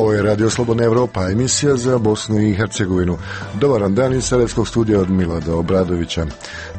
Ovo je Radio Slobodna Evropa, emisija za Bosnu i Hercegovinu. Dobar dan iz Sarajevskog studija od Milada Obradovića.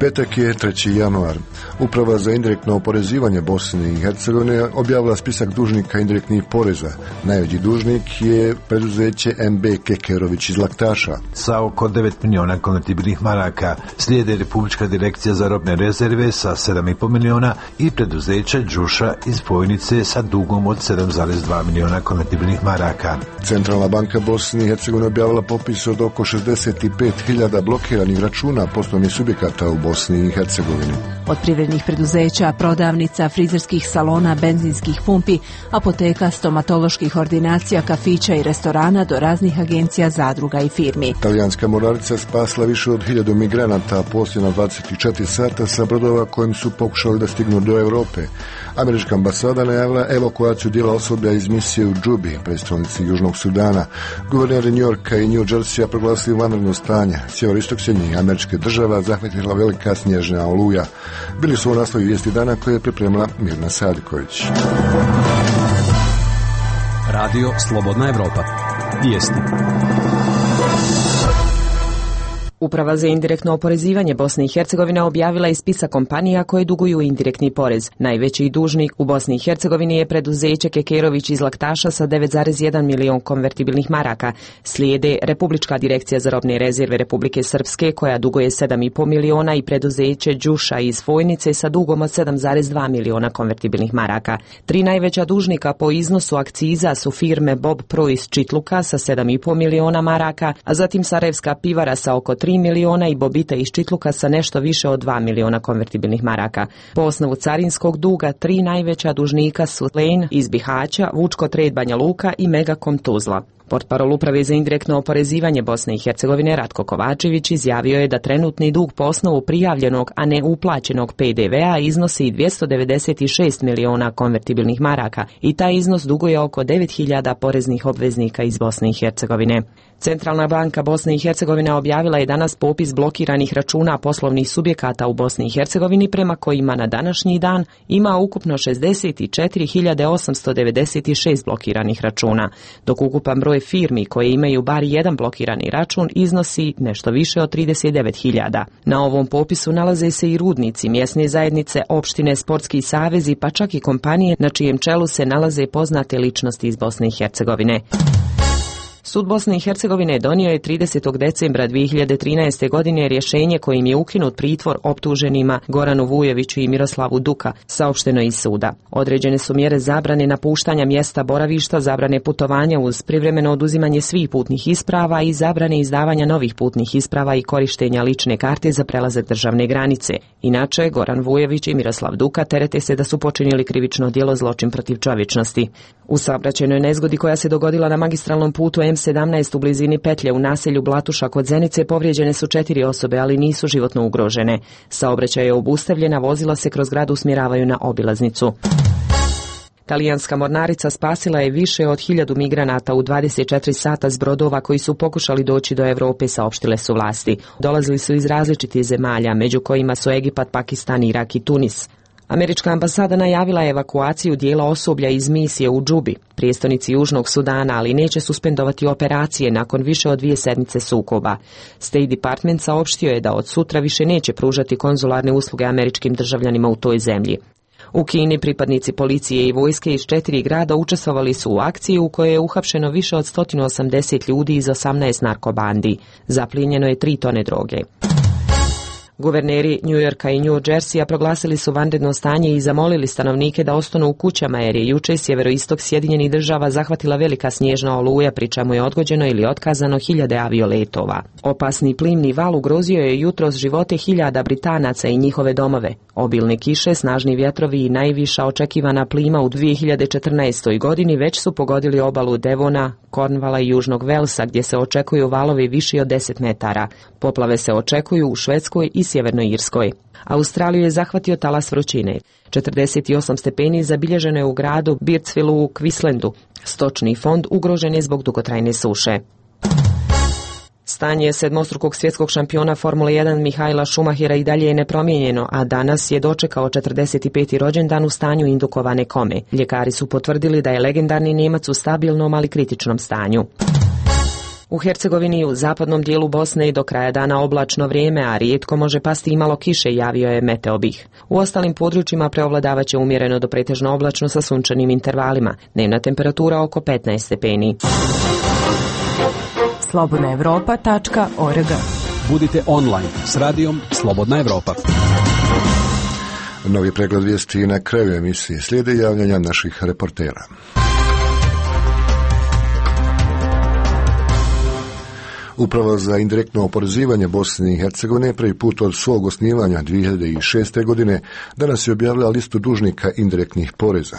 Petak je 3. januar. Uprava za indirektno oporezivanje Bosne i Hercegovine objavila spisak dužnika indirektnih poreza. Najveći dužnik je preduzeće MB Kekerović iz Laktaša. Sa oko 9 miliona konvertibilnih maraka slijede Republička direkcija za robne rezerve sa 7,5 miliona i preduzeće Đuša iz Fojnice sa dugom od 7,2 miliona konvertibilnih maraka. Centralna banka Bosne i Hercegovine objavila popis od oko 65.000 blokiranih računa poslovnih subjekata u Bosni i Hercegovini. Od privrednih preduzeća, prodavnica, frizerskih salona, benzinskih pumpi, apoteka, stomatoloških ordinacija, kafića i restorana do raznih agencija, zadruga i firmi. Talijanska mornarica spasla više od 1000 migranata posljednja 24 sata sa brodova kojim su pokušali da stignu do Europe. Američka ambasada najavila evakuaciju dijela osoblja iz misije u Džubi, prestolnici Južnog Sudana. Guverneri New Yorka i New Jersey proglasili vanredno stanje. Sjeveroistok Sjedinjenih Američkih Država zahvatila velika snježna oluja. Bili su u naslovi vijesti dana koje je pripremila Mirna Sadiković. Radio Slobodna Evropa. Vijesti. Uprava za indirektno oporezivanje Bosne i Hercegovine objavila je spisak kompanija koje duguju indirektni porez. Najveći dužnik u Bosni i Hercegovini je preduzeće Kekerović iz Laktaša sa 9,1 milion konvertibilnih maraka. Slijede Republička direkcija za robne rezerve Republike Srpske koja duguje 7,5 miliona i preduzeće Đuša iz Fojnice sa dugom od 7,2 miliona konvertibilnih maraka. Tri najveća dužnika po iznosu akciza su firme Bob Pro iz Čitluka sa 7,5 miliona maraka, a zatim Sarajevska pivara sa oko 3 miliona i Bobita iz Čitluka sa nešto više od 2 miliona konvertibilnih maraka. Po osnovu carinskog duga, tri najveća dužnika su Lane iz Bihaća, Vučko Trade Banja Luka i Megakom Tuzla. Portparol Uprave za indirektno oporezivanje Bosne i Hercegovine Ratko Kovačević izjavio je da trenutni dug po osnovu prijavljenog, a ne uplaćenog PDV-a iznosi 296 miliona konvertibilnih maraka i taj iznos duguje oko 9.000 poreznih obveznika iz Bosne i Hercegovine. Centralna banka Bosne i Hercegovine objavila je danas popis blokiranih računa poslovnih subjekata u Bosni i Hercegovini prema kojima na današnji dan ima ukupno 64.896 blokiranih računa, dok ukupan broj firmi koje imaju bar jedan blokirani račun iznosi nešto više od 39.000. Na ovom popisu nalaze se i rudnici, mjesne zajednice, opštine, sportski savezi, pa čak i kompanije na čijem čelu se nalaze poznate ličnosti iz Bosne i Hercegovine. Sud Bosne i Hercegovine donio je 30. decembra 2013. godine rješenje kojim je ukinut pritvor optuženima Goranu Vujoviću i Miroslavu Duka, saopšteno iz suda. Određene su mjere zabrane napuštanja mjesta boravišta, zabrane putovanja uz privremeno oduzimanje svih putnih isprava i zabrane izdavanja novih putnih isprava i korištenja lične karte za prelazak državne granice. Inače, Goran Vujović i Miroslav Duka terete se da su počinili krivično djelo zločin protiv čovječnosti. U saobraćajnoj nezgodi koja se dogodila na magistralnom putu M17 u blizini petlje u naselju Blatuša kod Zenice povrijeđene su 4 osobe, ali nisu životno ugrožene. Saobraćaj je obustavljena, vozila se kroz grad usmjeravaju na obilaznicu. Talijanska mornarica spasila je više od 1000 migranata u 24 sata s brodova koji su pokušali doći do Europe, saopštile su vlasti. Dolazili su iz različitih zemalja, među kojima su Egipat, Pakistan, Irak i Tunis. Američka ambasada najavila je evakuaciju dijela osoblja iz misije u Džubi, prijestolnici Južnog Sudana, ali neće suspendovati operacije nakon više od 2 sedmice sukoba. State Department saopštio je da od sutra više neće pružati konzularne usluge američkim državljanima u toj zemlji. U Kini pripadnici policije i vojske iz 4 grada učestvovali su u akciji u kojoj je uhapšeno više od 180 ljudi iz 18 narkobandi. Zaplijenjeno je 3 tone droge. Guverneri New Yorka i New Jerseya proglasili su vanredno stanje i zamolili stanovnike da ostanu u kućama jer je juče sjeveroistok Sjedinjenih Država zahvatila velika snježna oluja, pri čemu je odgođeno ili otkazano 1000 avioletova. Opasni plimni val ugrozio je jutros živote 1000 Britanaca i njihove domove. Obilne kiše, snažni vjetrovi i najviša očekivana plima u 2014. godini već su pogodili obalu Devona, Cornwalla i Južnog Velsa, gdje se očekuju valovi viši od 10 metara. Poplave se očekuju u Švedskoj i Sjevernoj Irskoj. Australiju je zahvatio talas vrućine. 48 stepeni zabilježeno je u gradu Birdsville u Queenslandu. Stočni fond ugrožen je zbog dugotrajne suše. Stanje sedmostrukog svjetskog šampiona Formule 1 Mihaela Schumachera i dalje je nepromijenjeno, a danas je dočekao 45. rođendan u stanju indukovane kome. Ljekari su potvrdili da je legendarni Nijemac u stabilnom, ali kritičnom stanju. U Hercegovini u zapadnom dijelu Bosne i do kraja dana oblačno vrijeme, a rijetko može pasti i malo kiše, javio je Meteobih. U ostalim područjima preovladavaće umjereno do pretežno oblačno sa sunčanim intervalima. Dnevna temperatura oko 15 stepeni. slobodnaevropa.org. Budite online s radijom Slobodna Evropa. Novi pregled vijesti na kraju emisije. Slijede javljanja naših reportera. Uprava za indirektno oporezivanje Bosne i Hercegovine prvi put od svog osnivanja 2006. godine danas je objavila listu dužnika indirektnih poreza.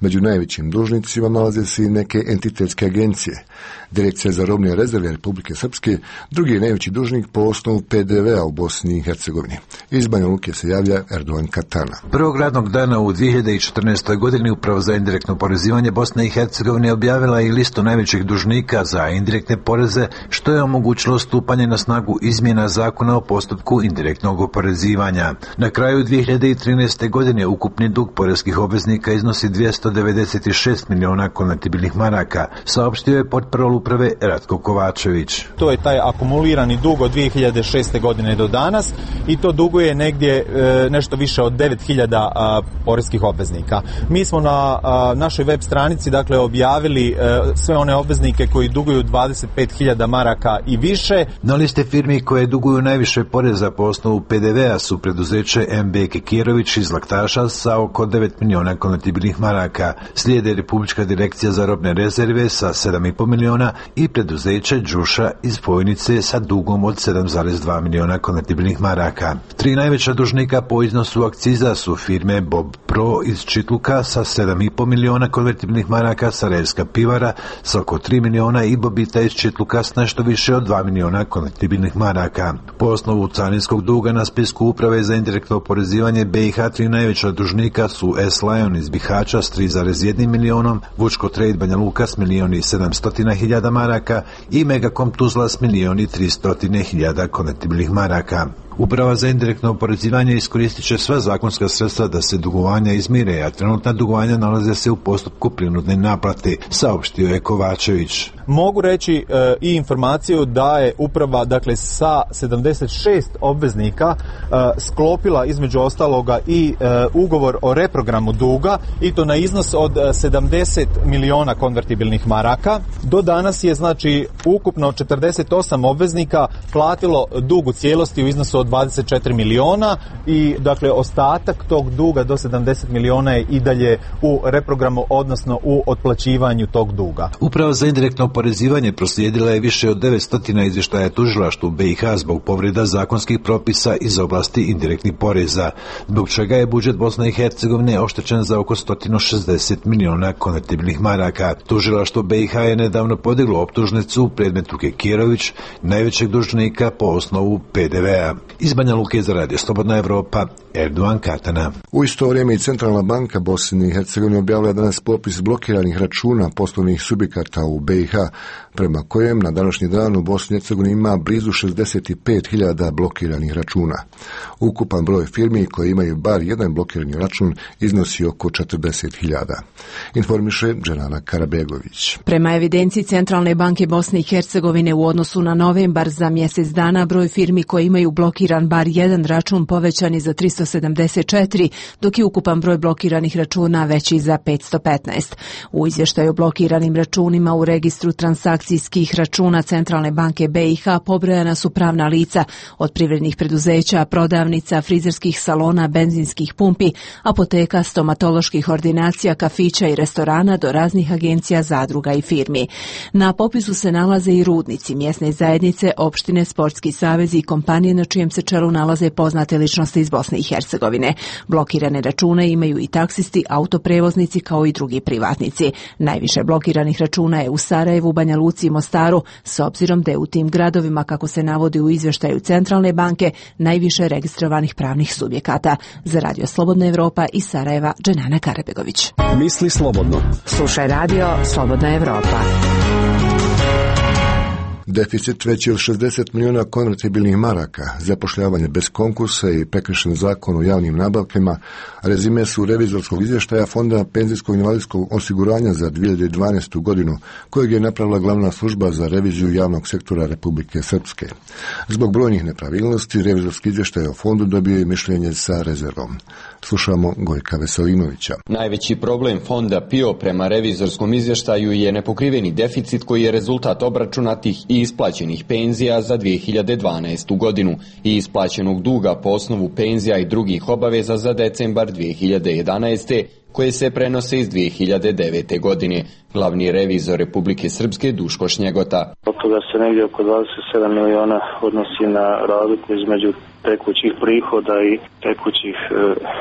Među najvećim dužnicima nalaze se i neke entitetske agencije. Direkcija za robne rezerve Republike Srpske drugi je najveći dužnik po osnovu PDV-a u Bosni i Hercegovini. Iz Banja Luke se javlja Erdogan Katana. Prvog radnog dana u 2014. godini Uprava za indirektno oporezivanje Bosne i Hercegovine objavila i listu najvećih dužnika za indirektne poreze, što je omogućilo stupanje na snagu izmjena zakona o postupku indirektnog oporezivanja. Na kraju 2013. godine ukupni dug poreskih obveznika iznosi 296 miliona konvertibilnih maraka, saopštio je portparol uprave Ratko Kovačević. To je taj akumulirani dug od 2006. godine do danas i to duguje negdje nešto više od 9000 poreskih obveznika. Mi smo na našoj web stranici dakle objavili sve one obveznike koji duguju 25.000 maraka i više. Na liste firmi koje duguju najviše poreza po osnovu PDV-a su preduzeće MB Kekirović iz Laktaša sa oko 9 miliona konvertibilnih maraka, slijede Republička direkcija za robne rezerve sa 7,5 miliona i preduzeće Đuša iz Fojnice sa dugom od 7,2 miliona konvertibilnih maraka. Tri najveća dužnika po iznosu akciza su firme Bob Pro iz Čitluka sa 7,5 miliona konvertibilnih maraka, Sarajevska pivara sa oko 3 miliona i Bobita iz Čitluka s nešto više od 2 miliona konvertibilnih maraka. Po osnovu carinskog duga na spisku Uprave za indirektno oporezivanje BiH tri najveća dužnika su S-Lion iz Bihaća s 3,1 milionom, Vučko Trade Banja Luka s 1.700.000 maraka i Megacom Tuzla s 1.300.000 konvertibilnih maraka. Uprava za indirektno oporezivanje iskoristit će sva zakonska sredstva da se dugovanja izmire, a trenutna dugovanja nalaze se u postupku prinudne naplate, saopštio je Kovačević. Mogu reći i informaciju da je uprava dakle sa 76 obveznika sklopila između ostaloga i ugovor o reprogramu duga i to na iznos od 70 miliona konvertibilnih maraka. Do danas je znači ukupno 48 obveznika platilo dug u cijelosti u iznosu od 24 miliona i dakle ostatak tog duga do 70 miliona je i dalje u reprogramu, odnosno u otplaćivanju tog duga. Uprava za indirektno oporezivanje proslijedila je više od 900 izvještaja tužilaštvu BiH zbog povreda zakonskih propisa iz oblasti indirektnih poreza, zbog čega je budžet Bosne i Hercegovine oštećen za oko 160 miliona konvertibilnih maraka. Tužilaštvo BiH je nedavno podiglo optužnicu u predmetu Kekirović, najvećeg dužnika po osnovu PDV-a. Iz Banja Luke za radio Slobodna Evropa, Erdogan Katana. U isto vrijeme i Centralna banka Bosne i Hercegovine objavila danas popis blokiranih računa poslovnih subjekata u BiH, prema kojem na današnji dan u Bosni i Hercegovini ima blizu 65.000 blokiranih računa. Ukupan broj firmi koje imaju bar jedan blokirani račun iznosi oko 40.000. Informiše Dženana Karabegović. Prema evidenciji Centralne banke Bosne i Hercegovine u odnosu na novembar za mjesec dana broj firmi koje imaju blokiran bar jedan račun povećan je za 374, dok je ukupan broj blokiranih računa veći za 515. U izvještaju o blokiranim računima u registru transakcijskih računa Centralne banke BiH pobrojana su pravna lica od privrednih preduzeća, prodavnica, frizerskih salona, benzinskih pumpi, apoteka, stomatoloških ordinacija, kafića i restorana do raznih agencija, zadruga i firmi. Na popisu se nalaze i rudnici, mjesne zajednice, opštine, sportski savezi i kompanije na čijem se čelu nalaze poznate ličnosti iz Bosne i Hercegovine. Blokirane račune imaju i taksisti, autoprevoznici kao i drugi privatnici. Najviše blokiranih računa je u Sarajevu, Banja Luci i Mostaru, s obzirom da je u tim gradovima, kako se navodi u izvještaju Centralne banke, najviše registrovanih pravnih subjekata. Za radio Slobodna Evropa iz Sarajeva, Dženana Karabegović. Misli slobodno. Slušaj radio Slobodna Evropa. Deficit veći od 60 milijuna konvertibilnih maraka, zapošljavanje bez konkursa i prekršen zakon o javnim nabavkama, rezime su revizorskog izvještaja Fonda penzijskog invalidskog osiguranja za 2012. godinu, kojeg je napravila glavna služba za reviziju javnog sektora Republike Srpske. Zbog brojnih nepravilnosti, revizorski izvještaj o fondu dobio je mišljenje sa rezervom. Slušamo Gojka Veselinovića. Najveći problem Fonda PIO prema revizorskom izvještaju je nepokriveni deficit koji je rezultat obračunatih i isplaćenih penzija za 2012. godinu i isplaćenog duga po osnovu penzija i drugih obaveza za decembar 2011. koje se prenose iz 2009. godine. Glavni revizor Republike Srpske Duško Šnjegota. Od toga se negdje oko 27 miliona odnosi na razliku između tekućih prihoda i tekućih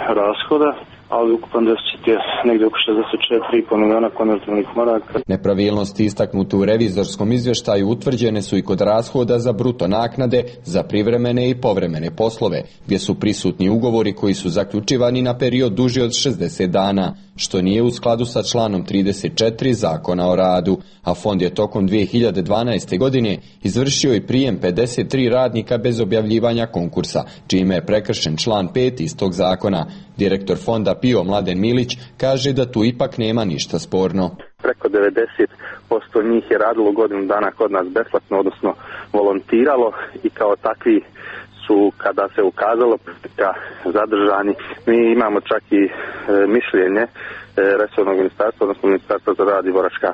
rashoda, ali ukupan deficit je negdje oko 64,5 miliona konvertibilnih maraka. Nepravilnosti istaknute u revizorskom izvještaju utvrđene su i kod rashoda za bruto naknade za privremene i povremene poslove, gdje su prisutni ugovori koji su zaključivani na period duži od 60 dana, što nije u skladu sa članom 34 Zakona o radu, a fond je tokom 2012. godine izvršio i prijem 53 radnika bez objavljivanja konkursa, čime je prekršen član 5 istog zakona. Direktor fonda PIO Mladen Milić kaže da tu ipak nema ništa sporno. Preko 90% njih je radilo godinu dana kod nas besplatno, odnosno volontiralo i kao takvi su, kada se ukazalo zadržani. Mi imamo čak i mišljenje resornog ministarstva, odnosno ministarstva za rad i boračka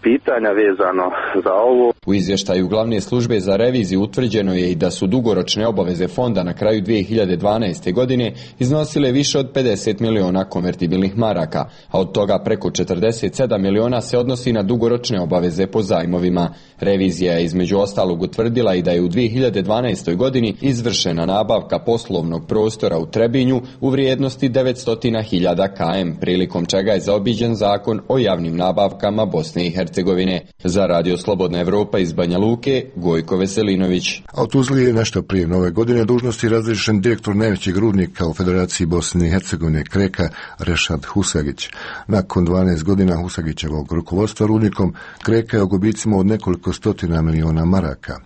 pitanja vezano za ovo. U izvještaju glavne službe za reviziju utvrđeno je i da su dugoročne obaveze fonda na kraju 2012. godine iznosile više od 50 miliona konvertibilnih maraka, a od toga preko 47 miliona se odnosi na dugoročne obaveze po zajmovima. Revizija je između ostalog utvrdila i da je u 2012. godini izvršena nabavka poslovnog prostora u Trebinju u vrijednosti 900.000 km, prilikom čega je zaobiđen zakon o javnim nabavkama Bosne i Hercegovine. Za Radio Slobodna Evropa iz Banja Luke, Gojko Veselinović. A u Tuzli je nešto prije nove godine dužnosti razriješen direktor najvećeg rudnika u Federaciji Bosne i Hercegovine Kreka Rešad Husagić. Nakon 12 godina Husagićevog rukovodstva rudnikom, Kreka je u gubicima od nekoliko stotina miliona maraka.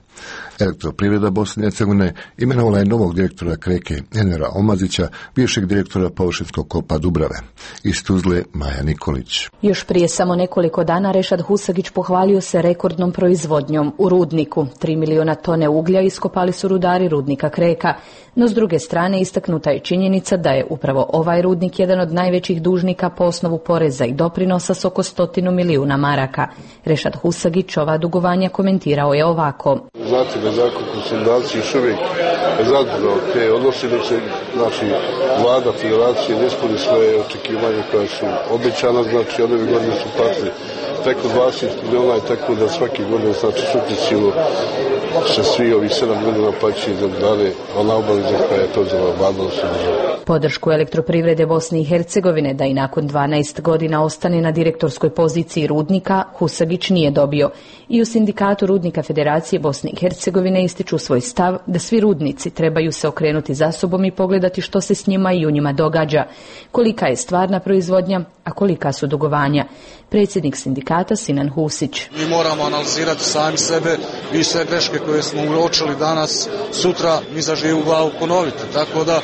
Elektroprivreda Bosne i Hercegovine imenovala je novog direktora Kreke Envera Omazića, bivšeg direktora površinskog kopa Dubrave. Iz Tuzle Maja Nikolić. Još prije samo nekoliko dana Rešad Husagić pohvalio se rekordnom proizvodnjom u rudniku. 3 miliona tone uglja iskopali su rudari rudnika Kreka, no s druge strane istaknuta je činjenica da je upravo ovaj rudnik jedan od najvećih dužnika po osnovu poreza i doprinosa s oko 100 milijuna maraka. Rešad Husagić ova dugovanja komentirao je ovako. Znate da zakon konsolidacije još uvijek zadržao te odnosi dok se vlada federacije ne ispuni svoje očekivanje koja su obećana, znači ove godine su platili preko 20 miliona i tako da svake godine sukcesivno se svi ovih 7 godina plaćaju za dane, ona obaveza koja je to za vladalo se država. Podršku elektroprivrede Bosne i Hercegovine da i nakon 12 godina ostane na direktorskoj poziciji rudnika Husagić nije dobio. I u sindikatu rudnika Federacije Bosne i Hercegovine ističu svoj stav da svi rudnici trebaju se okrenuti za sobom i pogledati što se s njima i u njima događa, kolika je stvarna proizvodnja, a kolika su dugovanja. Predsjednik sindikata Sinan Husić. Mi moramo analizirati sami sebe i sve greške koje smo uočili danas, sutra mi za živu glavu ponoviti. Tako da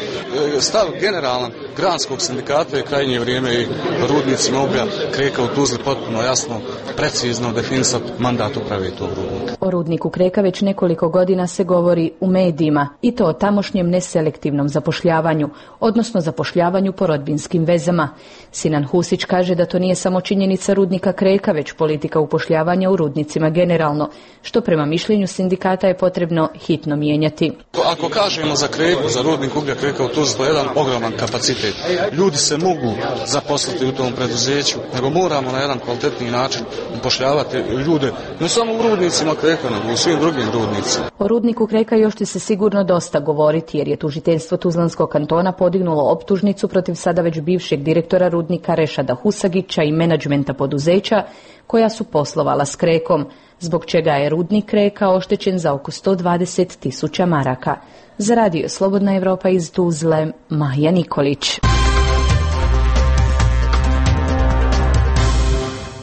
stav generalan granskog sindikata je krajnje vrijeme i rudnicima uglja Kreka u Tuzli potpuno jasno, precizno definisati mandat uprave tog rudnika. O rudniku Kreka već nekoliko godina se govori u medijima i to o tamošnjem neselektivnom zapošljavanju, odnosno zapošljavanju po rodbinskim vezama. Sinan Husić kaže da to nije samo činjenica rudnika Kreka, već politika upošljavanja u rudnicima generalno, što prema mišljenju sindikata je potrebno hitno mijenjati. Ako kažemo za Kreku, za rudnik uglja Kreka u Tuzli, to je jedan ogroman kapacitet. Ljudi se mogu zaposliti u tom preduzeću, nego moramo na jedan kvalitetniji način upošljavati ljude, ne samo u rudnicima Kreka, nego u svim drugim rudnicima. O rudniku Kreka još će se sigurno dosta govoriti, jer je tužiteljstvo Tuzlanskog kantona podignulo optužnicu protiv sada već bivšeg direktora rudnika Rešada Husagića i menadžmenta poduzeća koja su poslovala s Krekom, zbog čega je rudnik Kreka oštećen za oko 120.000 maraka. Za Radio Slobodna Evropa iz Tuzle, Maja Nikolić.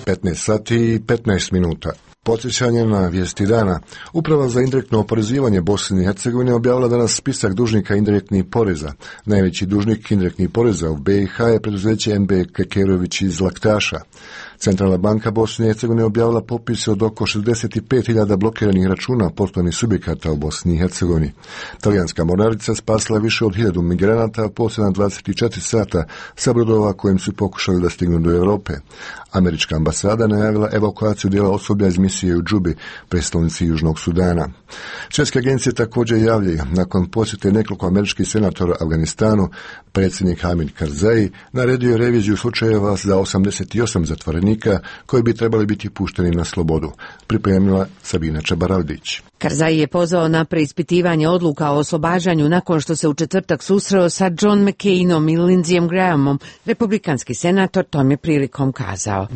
15 sati i 15 minuta. Podsjećanje na vijesti dana. Uprava za indirektno oporezivanje Bosne i Hercegovine objavila danas spisak dužnika indirektnih poreza. Najveći dužnik indirektnih poreza u BiH je preduzeće MB Kekerović iz Laktaša. Centralna banka Bosne i Hercegovine objavila popise od oko 65.000 blokiranih računa poslovnih subjekata u Bosni i Hercegovini. Talijanska mornarica spasila više od 1000 migranata posljednja 24 sata sa brodova kojim su pokušali da stignu do Europe. Američka ambasada najavila evakuaciju dijela osoblja iz misije u Džubi, prestolnici Južnog Sudana. Švedske agencije također javljaju, nakon posjete nekoliko američkih senatora Afganistanu, predsjednik Hamid Karzai naredio je reviziju slučajeva za 88 zatvorenika koji bi trebali biti pušteni na slobodu. Pripremila Sabina Čabaraldić. Karzai je pozvao na preispitivanje odluka o oslobađanju nakon što se u četvrtak susreo sa John McCainom i Lindseyem Grahamom. Republikanski senator tom je prilikom kazao: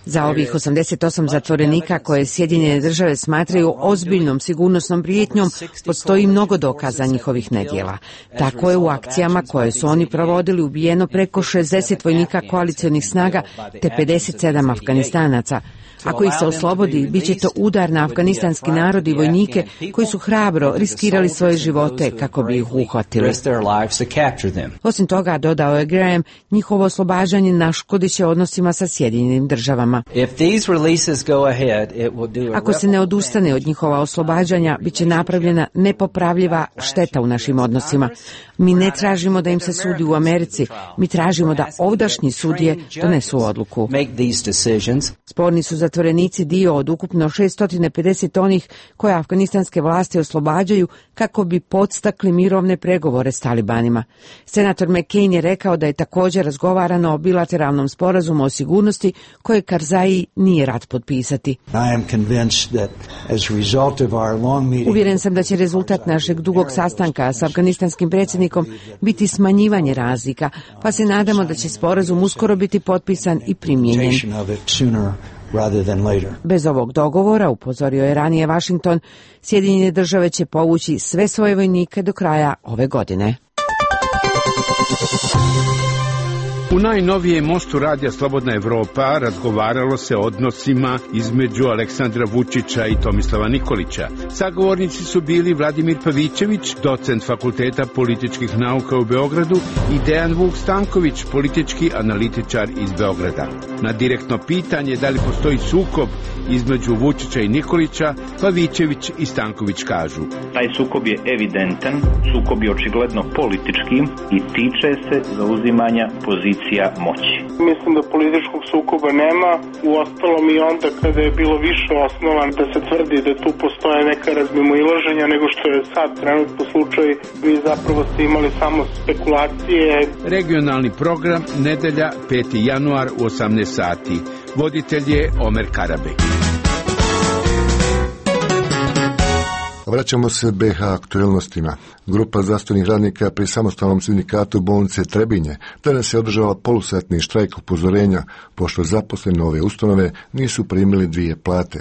za ovih 88 zatvorenika koje Sjedinjene države smatraju ozbiljnom sigurnosnom prijetnjom, postoji mnogo dokaza njihovih nedjela. Tako je u akcijama koje su oni provodili ubijeno preko 60 vojnika koalicionih snaga te 57 Afganistanaca. Ako ih se oslobodi, bit će to udar na afganistanski narod i vojnike koji su hrabro riskirali svoje živote kako bi ih uhvatili. Osim toga, dodao je Graham, njihovo oslobađanje naškodit će odnosima sa Sjedinjenim državama. Ako se ne odustane od njihova oslobađanja, bit će napravljena nepopravljiva šteta u našim odnosima. Mi ne tražimo da im se sudi u Americi, mi tražimo da ovdašnji sudije donesu odluku. Sporni su zatvorenici dio od ukupno 650 onih koje afganistanske vlasti oslobađaju kako bi podstakli mirovne pregovore s talibanima. Senator McCain je rekao da je također razgovarano o bilateralnom sporazumu o sigurnosti koje Karzai nije rad potpisati. Uvjeren sam da će rezultat našeg dugog sastanka s afganistanskim predsjednikom biti smanjivanje razlika, pa se nadamo da će sporazum uskoro biti potpisan i primijenjen. Bez ovog dogovora, upozorio je ranije Washington, Sjedinjene države će povući sve svoje vojnike do kraja ove godine. U najnovijem mostu radija Slobodna Evropa razgovaralo se o odnosima između Aleksandra Vučića i Tomislava Nikolića. Sagovornici su bili Vladimir Pavićević, docent Fakulteta političkih nauka u Beogradu, i Dejan Vuk Stanković, politički analitičar iz Beograda. Na direktno pitanje da li postoji sukob između Vučića i Nikolića, Pavićević i Stanković kažu: taj sukob je evidentan, sukob je očigledno politički i tiče se zauzimanja pozicija moći. Mislim da političkog sukoba nema, uostalom i onda kada je bilo više osnovan da se tvrdi da tu postoje neka razmimoilaženja nego što je sad trenutno slučaj, vi zapravo ste imali samo spekulacije. Regionalni program, nedelja, 5. januar u 18 sati. Voditelj je Omer Karabek. Vraćamo se BiH aktualnostima. Grupa zdravstvenih radnika pri samostalnom sindikatu bolnice Trebinje danas je održala polusatni štrajk upozorenja, pošto zaposleni ove ustanove nisu primili 2 plate.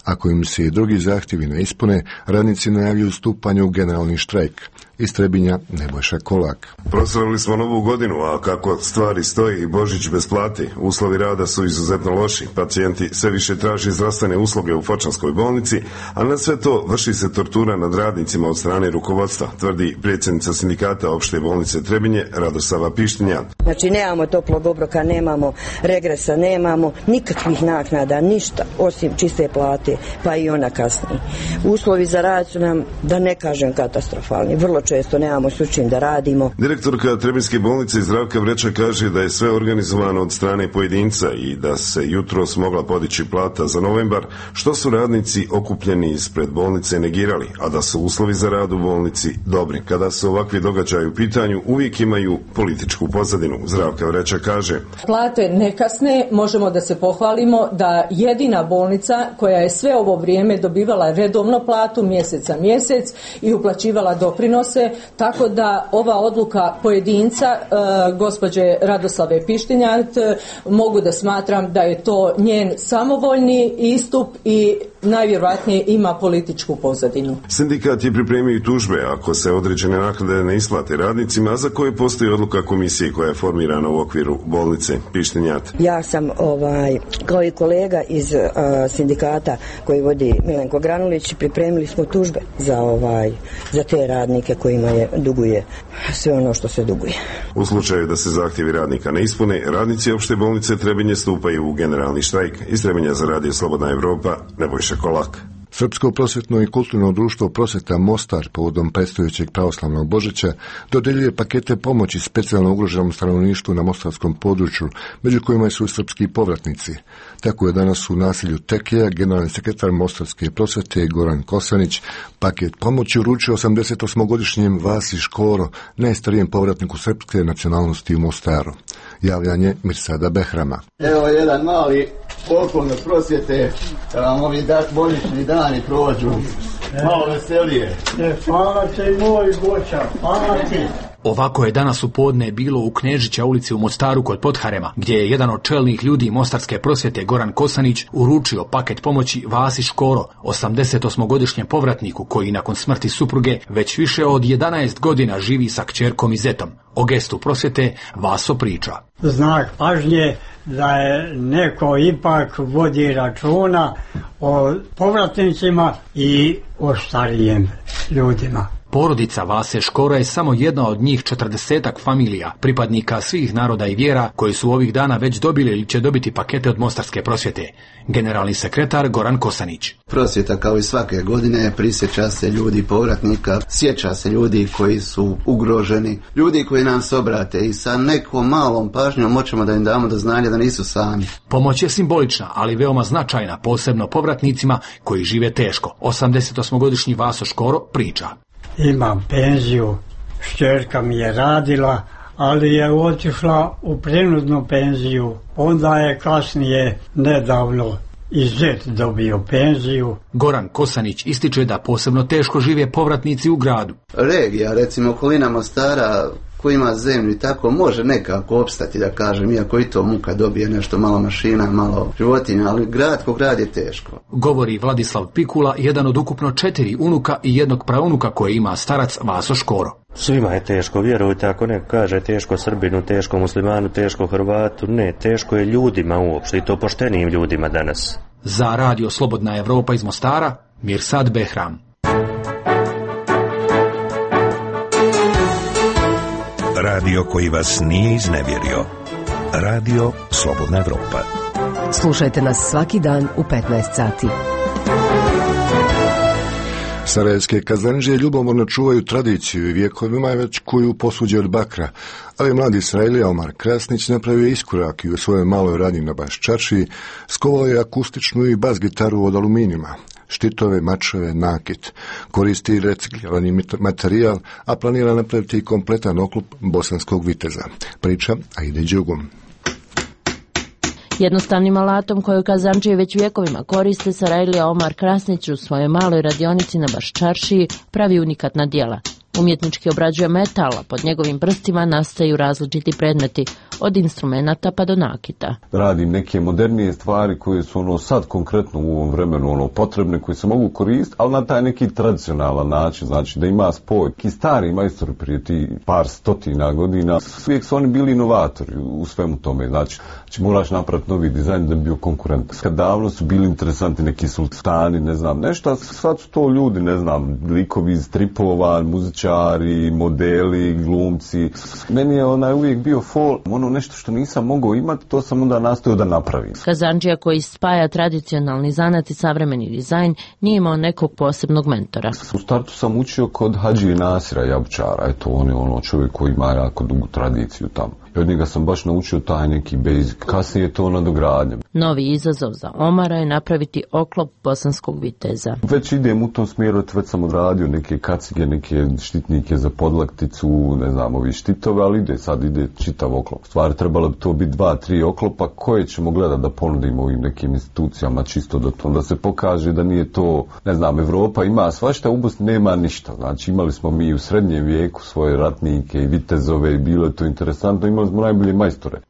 Ako im se i drugi zahtjevi ne ispune, radnici najavljuju stupanje u generalni štrajk. Iz Trebinja Nebojša Kolak. Proslavili smo novu godinu, a kako stvari stoji i Božić bez plati, uslovi rada su izuzetno loši. Pacijenti sve više traži zdravstvene usluge u Fočanskoj bolnici, a na sve to vrši se tortura nad radnicima od strane rukovodstva, tvrdi predsjednica sindikata opšte bolnice Trebinje Radosava Pištinja. Znači nemamo toplog obroka, nemamo regresa, nemamo nikakvih naknada, ništa osim čiste plate, pa i ona kasnije. Uslovi za rad su nam, da ne kažem, katastrofalni. Vrlo često nemamo s čim da radimo. Direktorka Trebinjske bolnice Zdravka Vreča kaže da je sve organizovano od strane pojedinca i da se jutros mogla podići plata za novembar, što su radnici okupljeni ispred bolnice negirali, a da su uslovi za rad u bolnici dobri. Kada su ovakvi događaji u pitanju, uvijek imaju političku pozadinu. Zdravka Vreča kaže: plate ne kasne, možemo da se pohvalimo da jedina bolnica koja je sve ovo vrijeme dobivala redovno platu mjesec za mjesec i uplaćivala doprinose, tako da ova odluka pojedinca gospođe Radoslave Pištinjat mogu da smatram da je to njen samovoljni istup i najvjerojatnije ima političku pozadinu. Sindikat je pripremio tužbe ako se određene naknade ne isplate radnicima, a za koje postoji odluka komisije koja je formirana u okviru bolnice. Pištenjat. Ja sam kao i kolega iz sindikata koji vodi Milenko Granulić, pripremili smo tužbe za te radnike kojima duguje sve ono što se duguje. U slučaju da se zahtjevi radnika ne ispune, radnici opšte bolnice Trebinje stupaju u generalni štrajk. Iz Trebinja za Radio Slobodna Evropa, Nebojša Kolak. Srpsko prosvjetno i kulturno društvo Prosvjeta Mostar povodom predstojećeg pravoslavnog Božića dodeljuje pakete pomoći specijalno ugroženom stanovništvu na mostarskom području, među kojima su srpski povratnici. Tako je danas u naselju Tekija generalni sekretar Mostarske prosvjete Goran Kosanić paket pomoći uručio 88-godišnjem Vasi Škoro, najstarijem povratniku srpske nacionalnosti u Mostaru. Javljanje Mirsada Behrama. Evo jedan mali poklon od prosvjete, da vam ovi božićni dani prođu malo veselije. Hvala ti moj Boća, hvala ti. Ovako je danas u podne bilo u Knežića ulici u Mostaru kod Podharema, gdje je jedan od čelnih ljudi Mostarske prosvjete Goran Kosanić uručio paket pomoći Vasi Škoro, 88-godišnjem povratniku koji nakon smrti supruge već više od 11 godina živi sa kćerkom i zetom. O gestu prosvjete Vaso priča. Znak pažnje da je neko ipak vodi računa o povratnicima i o starijim ljudima. Porodica Vase Škoro je samo jedna od njih 40-ak familija, pripadnika svih naroda i vjera koji su ovih dana već dobili ili će dobiti pakete od Mostarske prosvjete. Generalni sekretar Goran Kosanić. Prosvjeta kao i svake godine prisjeća se ljudi povratnika, sjeća se ljudi koji su ugroženi, ljudi koji nam se obrate i sa nekom malom pažnjom moćemo da im damo do znanja da nisu sami. Pomoć je simbolična, ali veoma značajna, posebno povratnicima koji žive teško. 88-godišnji Vaso Škoro priča. Imam penziju, šćerka mi je radila, ali je otišla u prinudnu penziju. Onda je kasnije nedavno i zet dobio penziju. Goran Kosanić ističe da posebno teško žive povratnici u gradu. Regija, recimo okolina Mostara, ko ima zemlju i tako, može nekako opstati, da kažem, iako i to muka dobije nešto, malo mašina, malo životinja, ali grad ko grad je teško. Govori Vladislav Pikula, jedan od ukupno 4 unuka i jednog praunuka koje ima starac Vaso Škoro. Svima je teško, vjerujte, ako neko kaže teško Srbinu, teško Muslimanu, teško Hrvatu, ne, teško je ljudima uopšte i to poštenim ljudima danas. Za Radio Slobodna Evropa iz Mostara, Mirsad Behram. Radio koji vas nije iznevjerio. Radio Slobodna Evropa. Slušajte nas svaki dan u 15 sati. Sarajevske kazandžije ljubomorno čuvaju tradiciju i vjekovima već kuju posuđe od bakra, ali mladi Israelija Omar Krasnić napravio iskorak i u svojoj maloj radnji na Baščaši skovao je akustičnu i bas gitaru od aluminijuma, štitove, mačeve, nakit. Koristi reciklirani materijal, a planira napraviti kompletan oklop bosanskog viteza. Priča Aide Đugum. Jednostavnim alatom koju kazandžije već vjekovima koriste, Sarajlija Omar Krasnić u svojoj maloj radionici na Baščaršiji pravi unikatna djela. Umjetnički obrađuje metal, a pod njegovim prstima nastaju različiti predmeti, od instrumenata pa do nakita. Radim neke modernije stvari koje su sad konkretno u ovom vremenu potrebne, koje se mogu koristiti, ali na taj neki tradicionalan način, znači da ima spoj. Ki stari majstori prije ti par stotina godina, uvijek su oni bili inovatori u svemu tome, znači moraš napraviti novi dizajn da bi bio konkurent. Kad davno su bili interesanti neki sultani, ne znam, nešto, sad su to ljudi, ne znam, likovi iz stripova, muzičari, modeli, glumci. Meni je uvijek bio nešto što nisam mogao imati, to sam onda nastojao da napravim. Kazandžija koji spaja tradicionalni zanat i savremeni dizajn nije imao nekog posebnog mentora. U startu sam učio kod Hadžije Nasira Jabučara, eto on je čovjek koji ima jako dugu tradiciju tamo. I od njega sam baš naučio taj neki basic. Kasnije je to nadogradnja. Novi izazov za Omara je napraviti oklop bosanskog viteza. Već idem u tom smjeru, već sam odradio neke kacige, neke štitnike za podlakticu, ne znam, ovi štitove, ali sad ide čitav oklop. Stvari trebalo bi to biti 2-3 oklopa koje ćemo gledati da ponudimo ovim nekim institucijama, čisto da se pokaže da nije to, ne znam, Evropa ima svašta, u Bosni nema ništa. Znači imali smo mi u srednjem vijeku svoje ratnike i vitezove i bilo je to interesantno, imali smo najbolje majstore.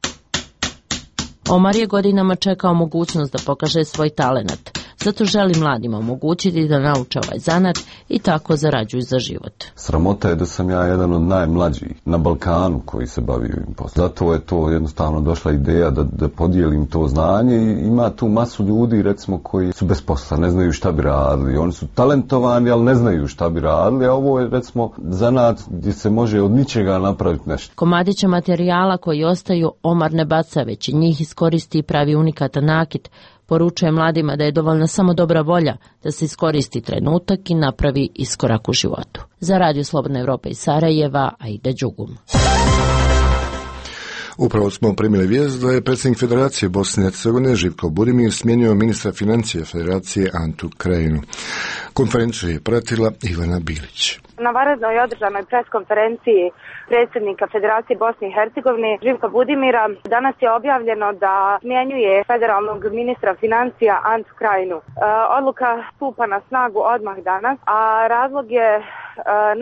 Omar je godinama čekao mogućnost da pokaže svoj talenat. Zato želi mladima omogućiti da nauče ovaj zanat i tako zarađuju za život. Sramota je da sam ja jedan od najmlađih na Balkanu koji se bavi ovim poslom. Zato je to jednostavno došla ideja da podijelim to znanje i ima tu masu ljudi recimo koji su bez posla, ne znaju šta bi radili. Oni su talentovani, ali ne znaju šta bi radili, a ovo je recimo zanat gdje se može od ničega napraviti nešto. Komadića materijala koji ostaju Omar ne baca, već i njih iskoristi i pravi unikatan nakit. Poručuje mladima da je dovoljna samo dobra volja da se iskoristi trenutak i napravi iskorak u životu. Za Radio Slobodna Evropa iz Sarajeva, Aida Đugum. Upravo smo primili vijest da je predsjednik Federacije Bosne i Hercegovine Živko Budimir smijenio ministra financija Federacije Antu Krajinu. Konferenciju je pratila Ivana Bilić. Na vanrednoj održanoj preskonferenciji predsjednika Federacije Bosne i Hercegovine Živka Budimira danas je objavljeno da smjenjuje federalnog ministra financija Antu Krajinu. Odluka stupa na snagu odmah danas, a razlog je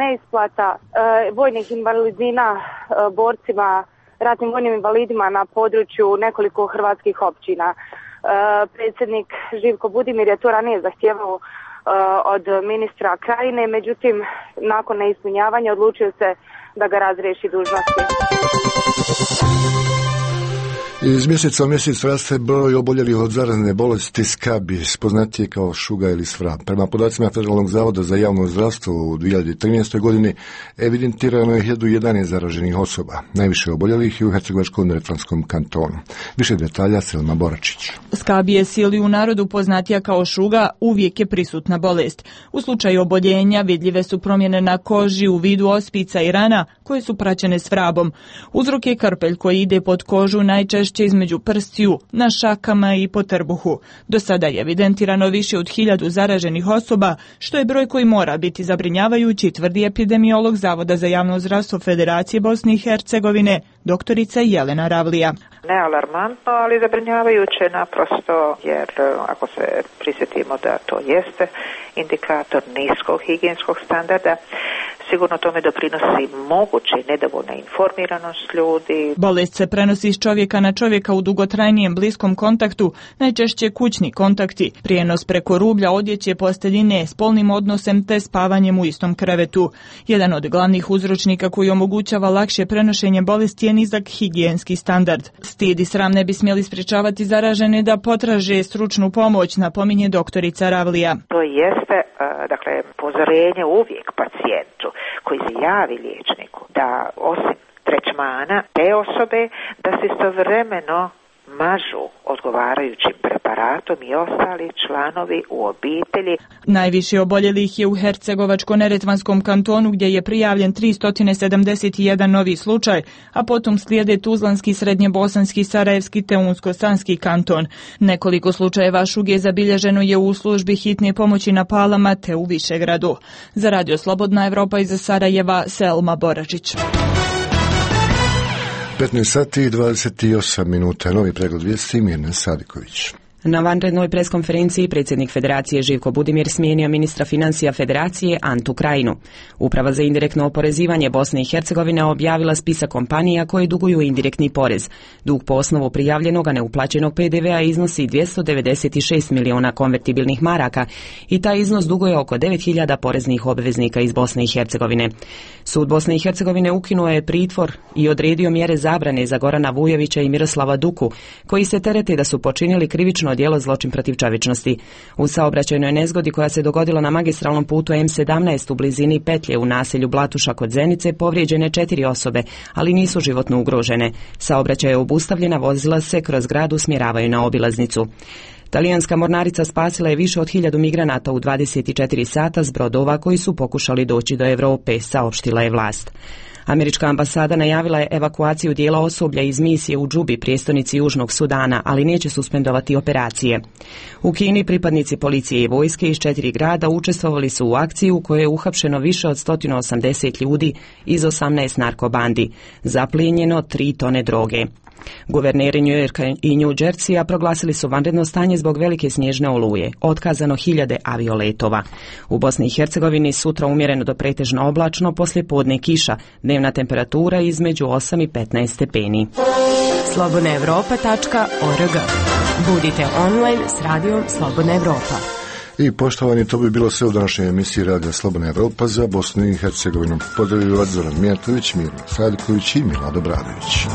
neisplata vojnih invalidnina borcima, ratnim vojnim invalidima na području nekoliko hrvatskih općina. Predsjednik Živko Budimir je to ranije zahtijevao od ministra Krajine, međutim, nakon neispunjavanja odlučio se da ga razriješi dužnosti. Iz mjeseca u mjesec raste broj oboljelih od zarazne bolesti skabis, poznatije kao šuga ili svrab. Prema podacima Federalnog zavoda za javno zdravstvo u 2013. godini evidentirano je 1011 zaraženih osoba. Najviše oboljelih je u Hercegovačko-neretvanskom kantonu. Više detalja Selma Boračić. Skabijez ili u narodu poznatija kao šuga uvijek je prisutna bolest. U slučaju oboljenja vidljive su promjene na koži u vidu ospica i rana koje su praćene svrabom. Uzrok je krpelj koji ide pod kožu najčešće između prstiju, na šakama i po trbuhu. Do sada je evidentirano više od 1000 zaraženih osoba, što je broj koji mora biti zabrinjavajući, tvrdi epidemiolog Zavoda za javno zdravstvo Federacije Bosne i Hercegovine, doktorica Jelena Ravlija. Ne alarmantno, ali zabrinjavajuće naprosto, jer ako se prisjetimo da to jeste indikator niskog higijenskog standarda, sigurno tome doprinosi moguće nedovoljna informiranost ljudi. Bolest se prenosi iz čovjeka na čovjeka u dugotrajnijem bliskom kontaktu, najčešće kućni kontakti, prijenos preko rublja, odjeće, posteljine, spolnim odnosem te spavanjem u istom krevetu. Jedan od glavnih uzročnika koji omogućava lakše prenošenje bolesti je nizak higijenski standard. Stid i sram ne bi smjeli sprječavati zaražene da potraže stručnu pomoć, napominje doktorica Ravlija. To jeste, upozorenje uvijek pacijentu koji se javi liječniku da osim tretmana te osobe da se istovremeno mažu odgovarajućim preparatom i ostali članovi u obitelji. Najviše oboljelih je u Hercegovačko-neretvanskom kantonu gdje je prijavljen 371 novi slučaj, a potom slijede Tuzlanski, Srednjebosanski, Sarajevski te Unsko-Sanski kanton. Nekoliko slučajeva šuge zabilježeno je u službi hitne pomoći na Palama te u Višegradu. Za Radio Slobodna Evropa iz Sarajeva, Selma Boračić. 15 sati i 28 minuta. Novi pregled vijesti Mirna Sadiković. Na vanrednoj preskonferenciji predsjednik Federacije Živko Budimir smijenio ministra financija Federacije Antu Krajinu. Uprava za indirektno oporezivanje Bosne i Hercegovine objavila spisak kompanija koje duguju indirektni porez. Dug po osnovu prijavljenog, a neuplaćenog PDV-a iznosi 296 miliona konvertibilnih maraka i taj iznos duguje oko 9000 poreznih obveznika iz Bosne i Hercegovine. Sud Bosne i Hercegovine ukinuo je pritvor i odredio mjere zabrane za Gorana Vujovića i Miroslava Duku, koji se terete da su počinili krivično djelo zločin protiv čovječnosti. U saobraćajnoj nezgodi koja se dogodila na magistralnom putu M17 u blizini petlje u naselju Blatuša kod Zenice povrijeđene 4 osobe, ali nisu životno ugrožene. Saobraćaj je obustavljena, vozila se kroz grad usmjeravaju na obilaznicu. Talijanska mornarica spasila je više od 1000 migranata u 24 sata s brodova koji su pokušali doći do Europe, saopštila je vlast. Američka ambasada najavila je evakuaciju dijela osoblja iz misije u Džubi, prijestolnici Južnog Sudana, ali neće suspendovati operacije. U Kini pripadnici policije i vojske iz 4 grada učestvovali su u akciji u kojoj je uhapšeno više od 180 ljudi iz 18 narkobandi. Zaplijenjeno 3 tone droge. Guverneri New Yorka i New Jerseya proglasili su vanredno stanje zbog velike snježne oluje, otkazano hiljade avioletova. U Bosni i Hercegovini sutra umjereno do pretežno oblačno, poslije podne kiša, dnevna temperatura između 8 i 15 stepeni. slobodnaevropa.org. Budite online s radijom Slobodna Evropa. I poštovani, to bi bilo sve u današnjoj emisiji Radija Slobodna Evropa za Bosnu i Hercegovinu. Pozdravljaju vas Zoran Mijatović, Miro Sadiković i Milado Bradović.